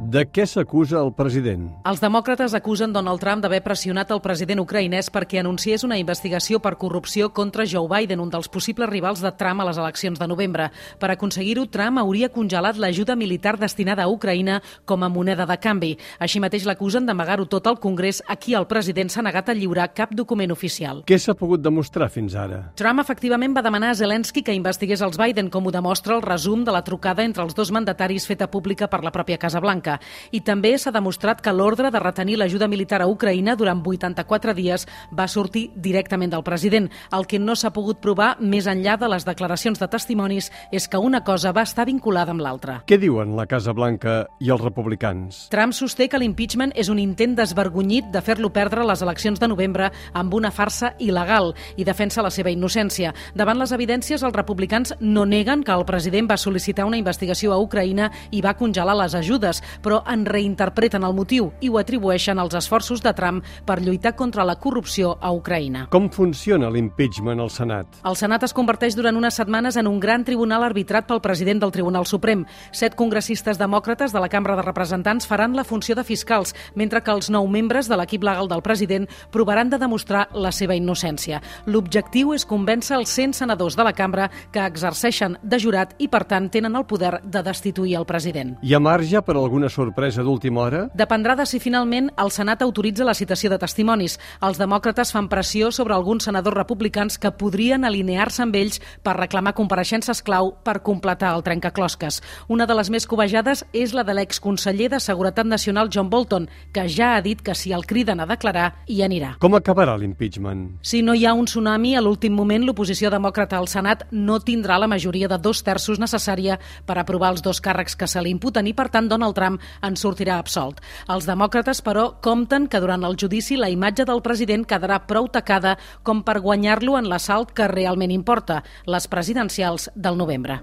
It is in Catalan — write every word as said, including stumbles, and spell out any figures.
De què s'acusa el president? Els demòcrates acusen Donald Trump d'haver pressionat el president ucraïnès perquè anunciés una investigació per corrupció contra Joe Biden, un dels possibles rivals de Trump a les eleccions de novembre. Per aconseguir-ho, Trump hauria congelat l'ajuda militar destinada a Ucraïna com a moneda de canvi. Així mateix l'acusen d'amagar-ho tot al Congrés, a qui el president s'ha negat a lliurar cap document oficial. Què s'ha pogut demostrar fins ara? Trump efectivament va demanar a Zelensky que investigués els Biden, com ho demostra el resum de la trucada entre els dos mandataris feta pública per la pròpia Casa Blanca. I també s'ha demostrat que l'ordre de retenir l'ajuda militar a Ucraïna durant vuitanta-quatre dies va sortir directament del president. El que no s'ha pogut provar, més enllà de les declaracions de testimonis, és que una cosa va estar vinculada amb l'altra. Què diuen la Casa Blanca i els republicans? Trump sosté que l'impeachment és un intent desvergonyit de fer-lo perdre les eleccions de novembre amb una farsa il·legal i defensa la seva innocència. Davant les evidències, els republicans no neguen que el president va sol·licitar una investigació a Ucraïna i va congelar les ajudes, però en reinterpreten el motiu i ho atribueixen als esforços de Trump per lluitar contra la corrupció a Ucraïna. Com funciona l'impeachment al Senat? El Senat es converteix durant unes setmanes en un gran tribunal arbitrat pel president del Tribunal Suprem. Set congressistes demòcrates de la Cambra de Representants faran la funció de fiscals, mentre que els nou membres de l'equip legal del president provaran de demostrar la seva innocència. L'objectiu és convèncer els cent senadors de la cambra que exerceixen de jurat i, per tant, tenen el poder de destituir el president. Hi ha marge per alguna sorpresa d'última hora? Dependrà de si finalment el Senat autoritza la citació de testimonis. Els demòcrates fan pressió sobre alguns senadors republicans que podrien alinear-se amb ells per reclamar compareixences clau per completar el trencaclosques. Una de les més cobejades és la de l'exconseller de Seguretat Nacional John Bolton, que ja ha dit que si el criden a declarar, hi anirà. Com acabarà l'impeachment? Si no hi ha un tsunami, a l'últim moment l'oposició demòcrata al Senat no tindrà la majoria de dos terços necessària per aprovar els dos càrrecs que se li imputen i, per tant, Donald Trump en sortirà absolt. Els demòcrates, però, compten que durant el judici la imatge del president quedarà prou tacada com per guanyar-lo en l'assalt que realment importa, les presidencials del novembre.